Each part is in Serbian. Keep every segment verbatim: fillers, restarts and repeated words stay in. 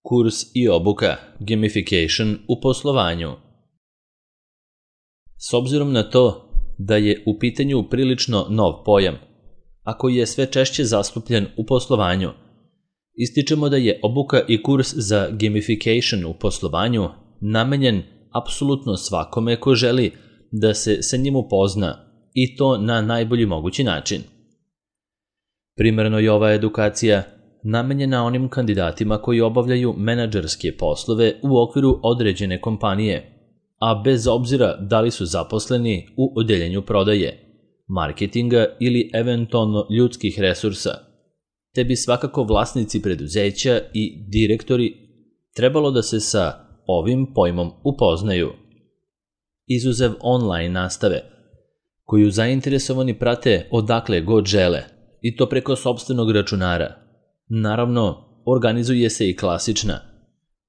kurs i obuka, gamification u poslovanju. S obzirom na to da je u pitanju prilično nov pojam, a koji je sve češće zastupljen u poslovanju, ističemo da je obuka i kurs za gamification u poslovanju namenjen apsolutno svakome ko želi da se sa njim upozna i to na najbolji mogući način. Primarno je ova edukacija namenjena onim kandidatima koji obavljaju menadžerske poslove u okviru određene kompanije, a bez obzira da li su zaposleni u odeljenju prodaje, marketinga ili eventualno ljudskih resursa, te bi svakako vlasnici preduzeća i direktori trebalo da se sa ovim pojmom upoznaju. Izuzev online nastave, koju zainteresovani prate odakle god žele, i to preko sopstvenog računara. Naravno, organizuje se i klasična,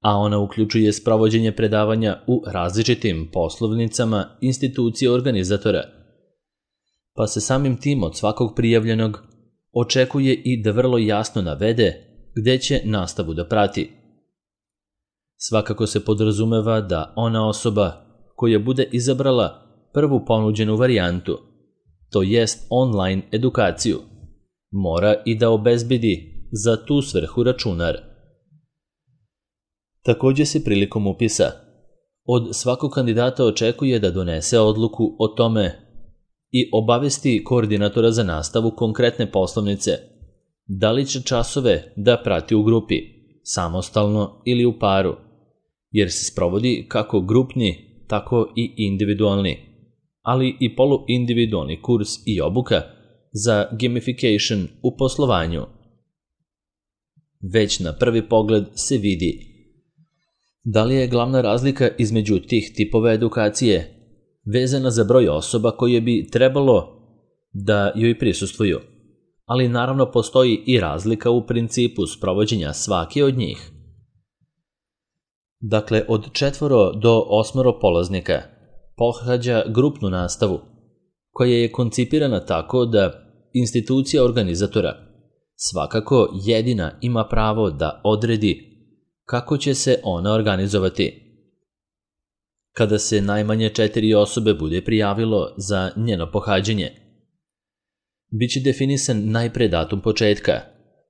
a ona uključuje sprovođenje predavanja u različitim poslovnicama institucije organizatora, pa se samim tim od svakog prijavljenog očekuje i da vrlo jasno navede gde će nastavu da prati. Svakako se podrazumeva da ona osoba koja bude izabrala prvu ponuđenu varijantu, to jest online edukaciju, mora i da obezbedi za tu svrhu računar. Također se prilikom upisa od svakog kandidata očekuje da donese odluku o tome i obavesti koordinatora za nastavu konkretne poslovnice da li će časove da prati u grupi, samostalno ili u paru, jer se sprovodi kako grupni, tako i individualni, ali i poluindividualni kurs i obuka za gamification u poslovanju. Već na prvi pogled se vidi da li je glavna razlika između tih tipova edukacije vezana za broj osoba koje bi trebalo da joj prisustvuju, ali naravno postoji i razlika u principu sprovođenja svake od njih. Dakle, od četvoro do osmoro polaznika pohađa grupnu nastavu, koja je koncipirana tako da institucija organizatora svakako jedina ima pravo da odredi kako će se ona organizovati. Kada se najmanje četiri osobe bude prijavilo za njeno pohađanje, biće definisan najpre datum početka,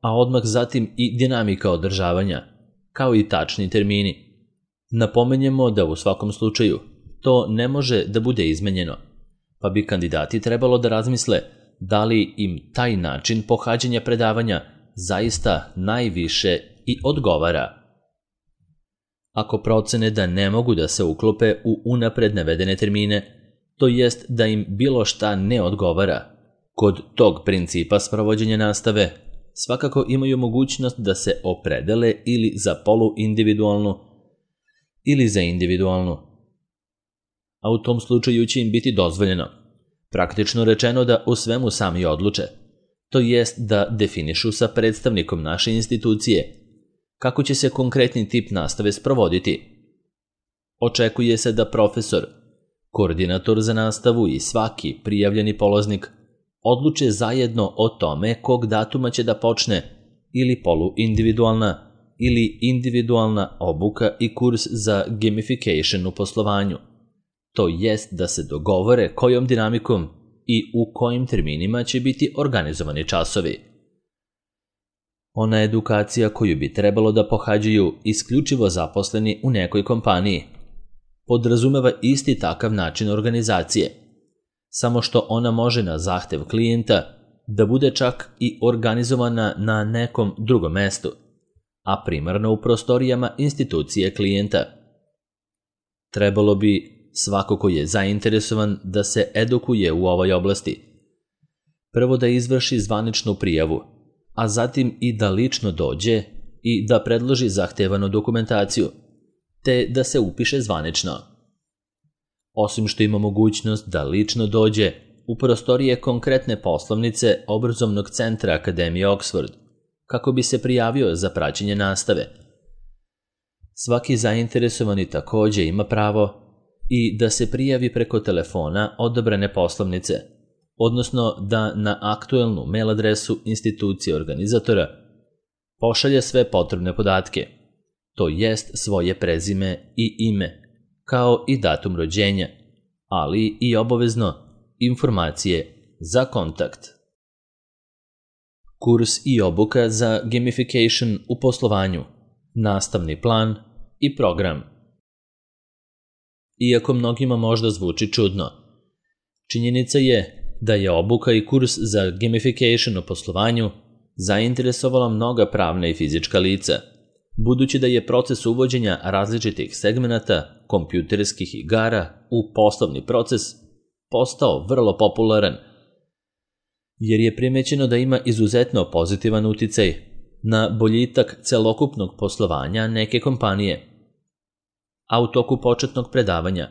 a odmah zatim i dinamika održavanja, kao i tačni termini. Napomenjemo da u svakom slučaju to ne može da bude izmenjeno, pa bi kandidati trebalo da razmisle da li im taj način pohađanja predavanja zaista najviše i odgovara. Ako procene da ne mogu da se uklope u unapred navedene termine, to jest da im bilo šta ne odgovara, kod tog principa sprovođenja nastave svakako imaju mogućnost da se opredele ili za poluindividualnu ili za individualnu. A u tom slučaju će im biti dozvoljeno, praktično rečeno, da o svemu sami odluče, to jest da definišu sa predstavnikom naše institucije kako će se konkretni tip nastave sprovoditi. Očekuje se da profesor, koordinator za nastavu i svaki prijavljeni polaznik odluče zajedno o tome kog datuma će da počne ili poluindividualna ili individualna obuka i kurs za gamification u poslovanju, to jest da se dogovore kojom dinamikom i u kojim terminima će biti organizovani časovi. Ona edukacija koju bi trebalo da pohađaju isključivo zaposleni u nekoj kompaniji podrazumeva isti takav način organizacije, samo što ona može na zahtev klijenta da bude čak i organizovana na nekom drugom mestu, a primarno u prostorijama institucije klijenta. Trebalo bi svako ko je zainteresovan da se edukuje u ovoj oblasti prvo da izvrši zvaničnu prijavu, a zatim i da lično dođe i da predloži zahtevanu dokumentaciju, te da se upiše zvanično. Osim što ima mogućnost da lično dođe u prostorije konkretne poslovnice obrazovnog centra Akademije Oxford, kako bi se prijavio za praćenje nastave. Svaki zainteresovani također ima pravo i da se prijavi preko telefona odabrane poslovnice, odnosno da na aktuelnu mail adresu institucije organizatora pošalje sve potrebne podatke, to jest svoje prezime i ime, kao i datum rođenja, ali i obavezno informacije za kontakt. Kurs i obuka za gamification u poslovanju, nastavni plan i program. Iako mnogima možda zvuči čudno, činjenica je da je obuka i kurs za gamification u poslovanju zainteresovala mnoga pravna i fizička lica, budući da je proces uvođenja različitih segmenata kompjuterskih igara u poslovni proces postao vrlo popularan, jer je primećeno da ima izuzetno pozitivan uticaj na boljitak celokupnog poslovanja neke kompanije. A u toku početnog predavanja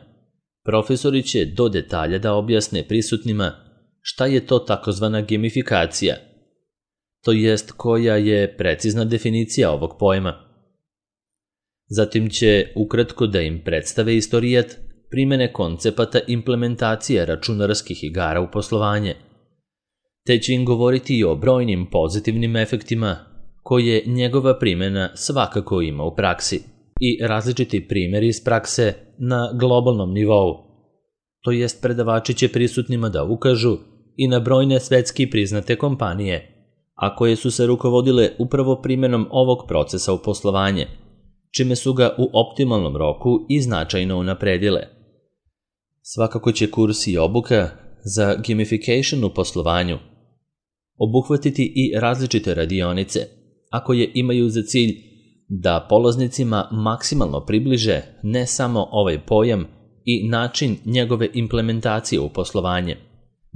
profesori će do detalja da objasne prisutnima šta je to takozvana gamifikacija, to jest koja je precizna definicija ovog pojma. Zatim će ukratko da im predstave istorijat primene koncepata implementacije računarskih igara u poslovanje, te će im govoriti i o brojnim pozitivnim efektima koje njegova primjena svakako ima u praksi i različiti primjeri iz prakse na globalnom nivou. To jest predavači će prisutnima da ukažu i na brojne svetski priznate kompanije, a koje su se rukovodile upravo primjenom ovog procesa u poslovanje, čime su ga u optimalnom roku i značajno unapredile. Svakako će kurs i obuka za gamification u poslovanju obuhvatiti i različite radionice, a koje imaju za cilj da polaznicima maksimalno približe ne samo ovaj pojam i način njegove implementacije u poslovanje,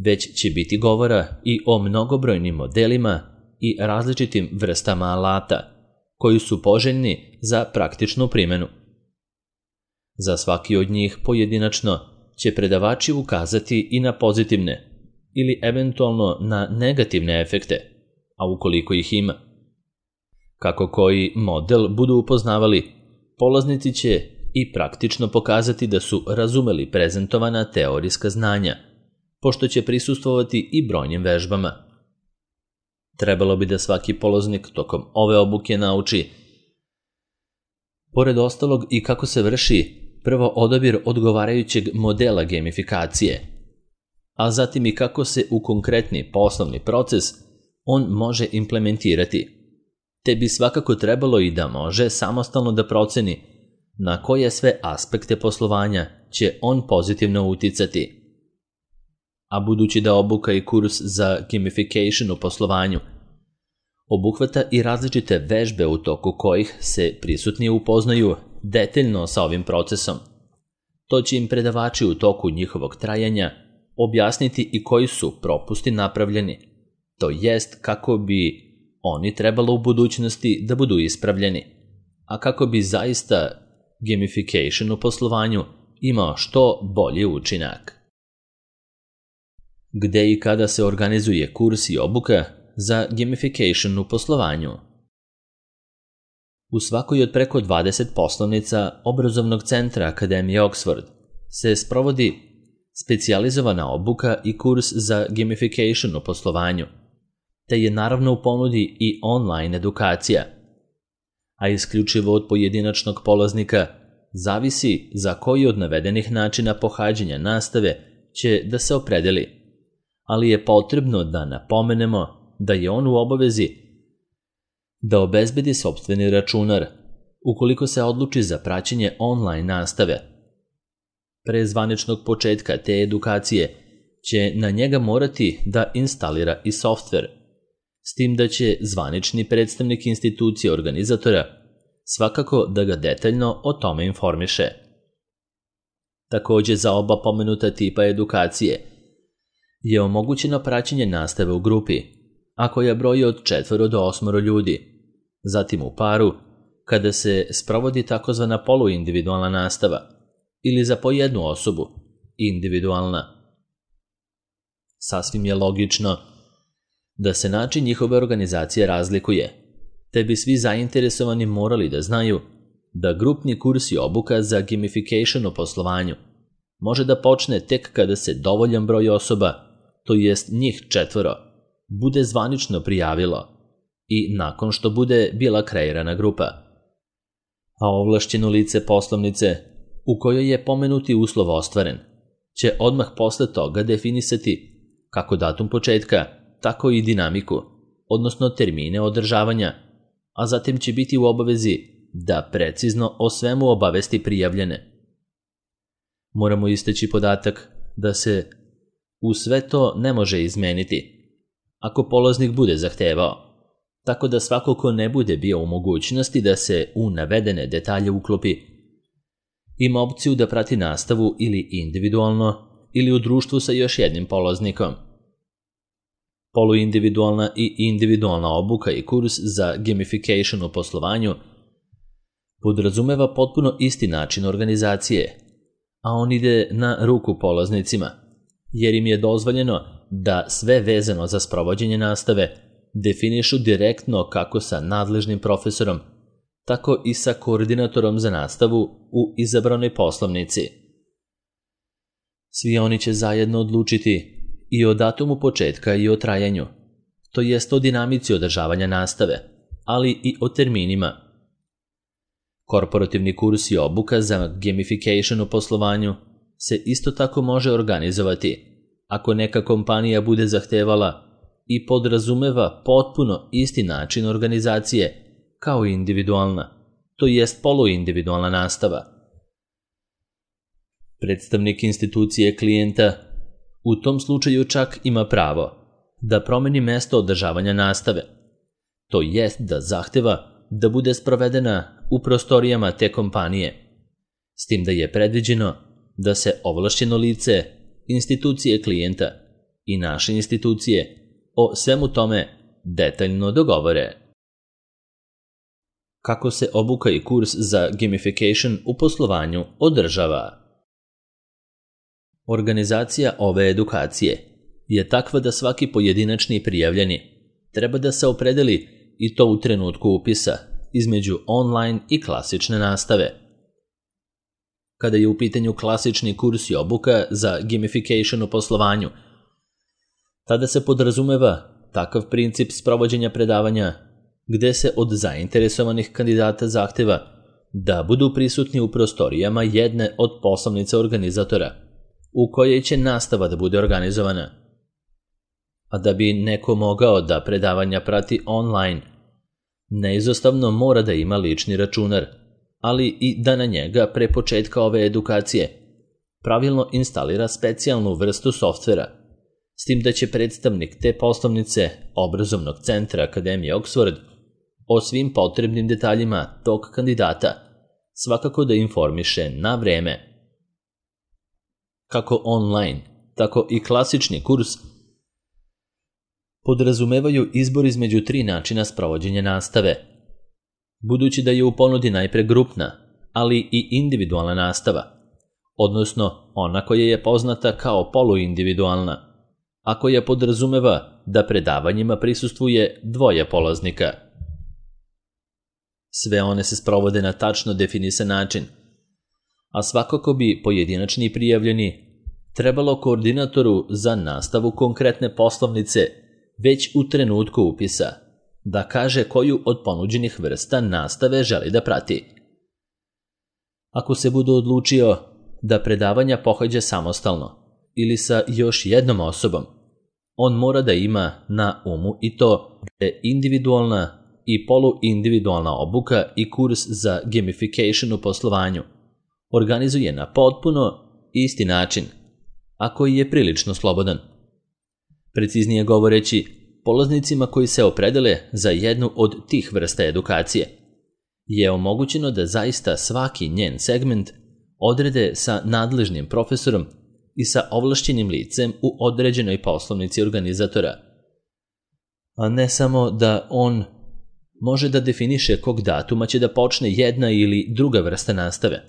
već će biti govora i o mnogobrojnim modelima i različitim vrstama alata koji su poželjni za praktičnu primjenu. Za svaki od njih pojedinačno će predavači ukazati i na pozitivne ili eventualno na negativne efekte, a ukoliko ih ima. Kako koji model budu upoznavali, polaznici će i praktično pokazati da su razumeli prezentovana teorijska znanja, pošto će prisustvovati i brojnim vežbama. Trebalo bi da svaki polaznik tokom ove obuke nauči, pored ostalog, i kako se vrši prvo odabir odgovarajućeg modela gamifikacije, a zatim i kako se u konkretni poslovni proces on može implementirati, te bi svakako trebalo i da može samostalno da proceni na koje sve aspekte poslovanja će on pozitivno uticati. A budući da obuka i kurs za gamification u poslovanju obuhvata i različite vežbe u toku kojih se prisutni upoznaju detaljno sa ovim procesom, to će im predavači u toku njihovog trajanja objasniti i koji su propusti napravljeni, to jest kako bi oni trebalo u budućnosti da budu ispravljeni, a kako bi zaista gamification u poslovanju imao što bolji učinak. Gde i kada se organizuje kurs i obuka za gamification u poslovanju? U svakoj od preko dvadeset poslovnica obrazovnog centra Akademije Oxford se sprovodi specijalizovana obuka i kurs za gamification u poslovanju, te je naravno u ponudi i online edukacija, a isključivo od pojedinačnog polaznika zavisi za koji od navedenih načina pohađanja nastave će da se opredeli, ali je potrebno da napomenemo da je on u obavezi da obezbedi sopstveni računar ukoliko se odluči za praćenje online nastave. Pre zvaničnog početka te edukacije će na njega morati da instalira i softver, s tim da će zvanični predstavnik institucije organizatora svakako da ga detaljno o tome informiše. Također za oba pomenuta tipa edukacije je omogućeno praćenje nastave u grupi, a koja broji od četvoro do osmoro ljudi, zatim u paru, kada se sprovodi takozvana poluindividualna nastava, ili za po jednu osobu, individualna. Sasvim je logično da se način njihove organizacije razlikuje, te bi svi zainteresovani morali da znaju da grupni kurs i obuka za gamification u poslovanju može da počne tek kada se dovoljan broj osoba, to jest njih četvoro, bude zvanično prijavilo i nakon što bude bila kreirana grupa. a ovlašćeno lice poslovnice u kojoj je pomenuti uslov ostvaren će odmah posle toga definisati kako datum početka, tako i dinamiku, odnosno termine održavanja, a zatim će biti u obavezi da precizno o svemu obavesti prijavljene. Moramo istaći podatak da se u sve to ne može izmeniti ako polaznik bude zahtevao, tako da svako ko ne bude bio u mogućnosti da se u navedene detalje uklopi, ima opciju da prati nastavu ili individualno ili u društvu sa još jednim polaznikom. Poluindividualna i individualna obuka i kurs za gamification u poslovanju podrazumeva potpuno isti način organizacije, a on ide na ruku polaznicima, jer im je dozvoljeno da sve vezano za sprovođenje nastave definišu direktno kako sa nadležnim profesorom, tako i sa koordinatorom za nastavu u izabranoj poslovnici. Svi oni će zajedno odlučiti i o datumu početka i o trajanju, to jest o dinamici održavanja nastave, ali i o terminima. Korporativni kurs i obuka za gamification u poslovanju se isto tako može organizovati ako neka kompanija bude zahtevala i podrazumeva potpuno isti način organizacije kao i individualna, to jest poluindividualna nastava. Predstavnik institucije klijenta u tom slučaju čak ima pravo da promeni mesto održavanja nastave, to jest da zahteva da bude sprovedena u prostorijama te kompanije, s tim da je predviđeno da se ovlašćeno lice institucije klijenta i naše institucije o svemu tome detaljno dogovore. Kako se obuka i kurs za gamification u poslovanju održava? Organizacija ove edukacije je takva da svaki pojedinačni prijavljeni treba da se opredeli i to u trenutku upisa između online i klasične nastave. Kada je u pitanju klasični kurs i obuka za gamification u poslovanju, tada se podrazumeva takav princip sprovođenja predavanja gde se od zainteresovanih kandidata zahteva da budu prisutni u prostorijama jedne od poslovnica organizatora u kojoj će nastava da bude organizovana. A da bi neko mogao da predavanja prati online, neizostavno mora da ima lični računar, ali i da na njega pre početka ove edukacije pravilno instalira specijalnu vrstu softvera, s tim da će predstavnik te poslovnice obrazovnog centra Akademije Oxford o svim potrebnim detaljima tog kandidata svakako da informiše na vreme. Kako online, tako i klasični kurs podrazumevaju izbor između tri načina sprovođenja nastave. Budući da je u ponudi najpre grupna, ali i individualna nastava, odnosno ona koja je poznata kao poluindividualna, a koja podrazumeva da predavanjima prisustvuje dvoje polaznika. Sve one se sprovode na tačno definisan način, a svakako bi pojedinačni prijavljeni trebalo koordinatoru za nastavu konkretne poslovnice već u trenutku upisa da kaže koju od ponuđenih vrsta nastave želi da prati. Ako se bude odlučio da predavanja pohađa samostalno ili sa još jednom osobom, on mora da ima na umu i to da je individualna i poluindividualna obuka i kurs za gamification u poslovanju organizuje na potpuno isti način, a koji je prilično slobodan. Preciznije govoreći, polaznicima koji se opredele za jednu od tih vrsta edukacije je omogućeno da zaista svaki njen segment odrede sa nadležnim profesorom i sa ovlašćenim licem u određenoj poslovnici organizatora, a ne samo da on može da definiše kog datuma će da počne jedna ili druga vrsta nastave,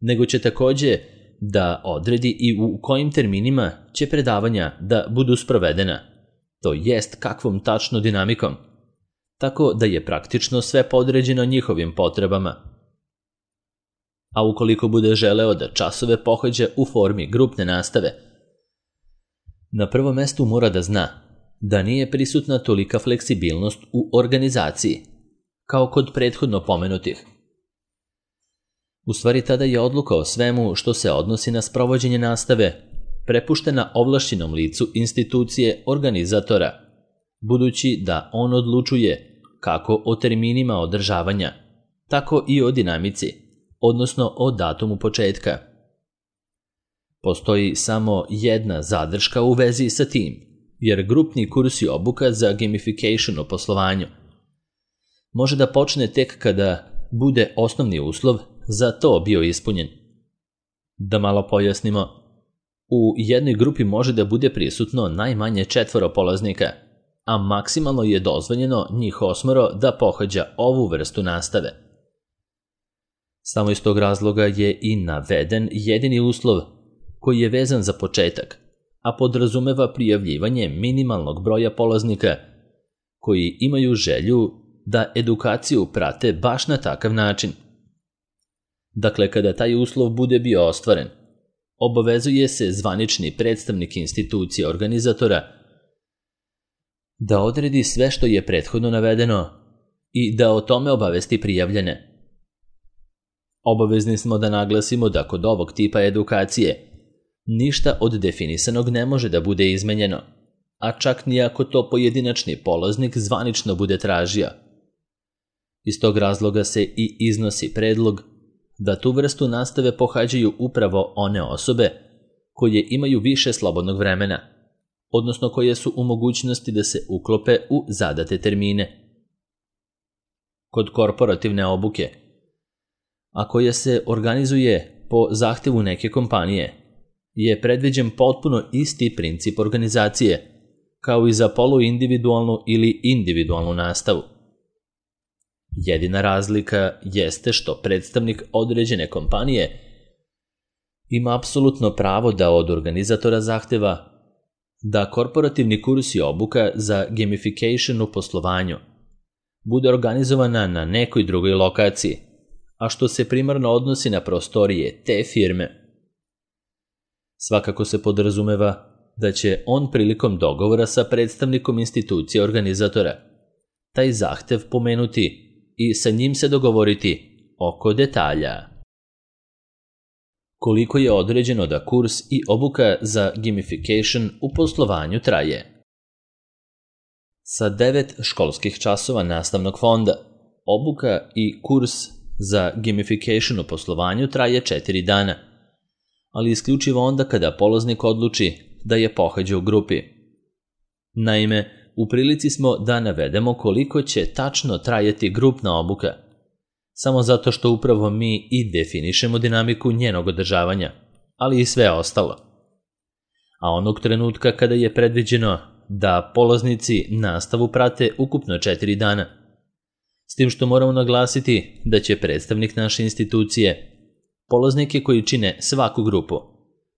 nego će takođe da odredi i u kojim terminima će predavanja da budu sprovedena, to jest kakvom tačno dinamikom, tako da je praktično sve podređeno njihovim potrebama. A ukoliko bude želeo da časove pohađa u formi grupne nastave, na prvom mestu mora da zna da nije prisutna tolika fleksibilnost u organizaciji, kao kod prethodno pomenutih. U stvari tada je odluka o svemu što se odnosi na sprovođenje nastave prepuštena ovlašćenom licu institucije organizatora, budući da on odlučuje kako o terminima održavanja, tako i o dinamici, odnosno o datumu početka. Postoji samo jedna zadrška u vezi sa tim, jer grupni kurs i obuka za gamification u poslovanju može da počne tek kada bude osnovni uslov za to bio ispunjen. Da malo pojasnimo, u jednoj grupi može da bude prisutno najmanje četvoro polaznika, a maksimalno je dozvoljeno njih osmoro da pohađa ovu vrstu nastave. Samo iz tog razloga je i naveden jedini uslov koji je vezan za početak, a podrazumeva prijavljivanje minimalnog broja polaznika koji imaju želju da edukaciju prate baš na takav način. Dakle, kada taj uslov bude bio ostvaren, obavezuje se zvanični predstavnik institucije organizatora da odredi sve što je prethodno navedeno i da o tome obavesti prijavljene. Obavezni smo da naglasimo da kod ovog tipa edukacije ništa od definisanog ne može da bude izmenjeno, a čak ni ako to pojedinačni polaznik zvanično bude tražio. Iz tog razloga se i iznosi predlog da tu vrstu nastave pohađaju upravo one osobe koje imaju više slobodnog vremena, odnosno koje su u mogućnosti da se uklope u zadate termine. Kod korporativne obuke, a koja se organizuje po zahtevu neke kompanije, je predviđen potpuno isti princip organizacije, kao i za poluindividualnu ili individualnu nastavu. Jedina razlika jeste što predstavnik određene kompanije ima apsolutno pravo da od organizatora zahteva da korporativni kurs i obuka za gamification u poslovanju bude organizovana na nekoj drugoj lokaciji, a što se primarno odnosi na prostorije te firme. Svakako se podrazumeva da će on prilikom dogovora sa predstavnikom institucije organizatora taj zahtev pomenuti i sa njim se dogovoriti oko detalja. Koliko je određeno da kurs i obuka za gamification u poslovanju traje? Sa devet školskih časova nastavnog fonda, obuka i kurs za gamification u poslovanju traje četiri dana, ali isključivo onda kada polaznik odluči da je pohađa u grupi. Naime, u prilici smo da navedemo koliko će tačno trajati grupna obuka, samo zato što upravo mi i definišemo dinamiku njenog održavanja, ali i sve ostalo. A onog trenutka kada je predviđeno da polaznici nastavu prate ukupno četiri dana, s tim što moramo naglasiti da će predstavnik naše institucije polaznike koji čine svaku grupu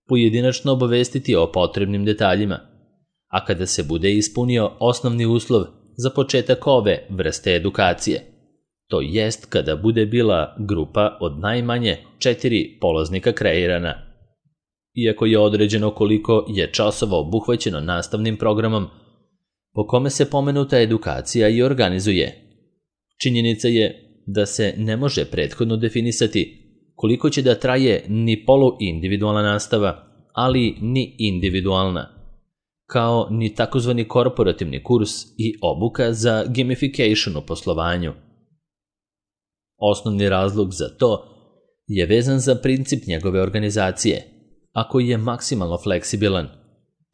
pojedinačno obavestiti o potrebnim detaljima, a kada se bude ispunio osnovni uslov za početak ove vrste edukacije, to jest kada bude bila grupa od najmanje četiri polaznika kreirana. Iako je određeno koliko je časova obuhvaćeno nastavnim programom po kome se pomenuta edukacija i organizuje, činjenica je da se ne može prethodno definisati koliko će da traje ni poluindividualna nastava, ali ni individualna, kao ni takozvani korporativni kurs i obuka za gamification u poslovanju. Osnovni razlog za to je vezan za princip njegove organizacije, a koji je maksimalno fleksibilan,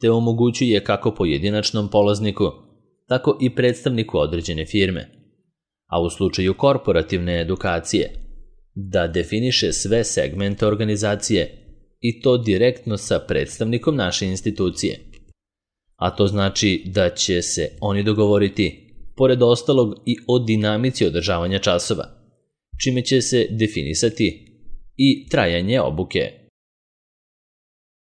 te omogućuje kako pojedinačnom polazniku, tako i predstavniku određene firme, a u slučaju korporativne edukacije, da definiše sve segmente organizacije i to direktno sa predstavnikom naše institucije. A to znači da će se oni dogovoriti, pored ostalog, i o dinamici održavanja časova, čime će se definisati i trajanje obuke.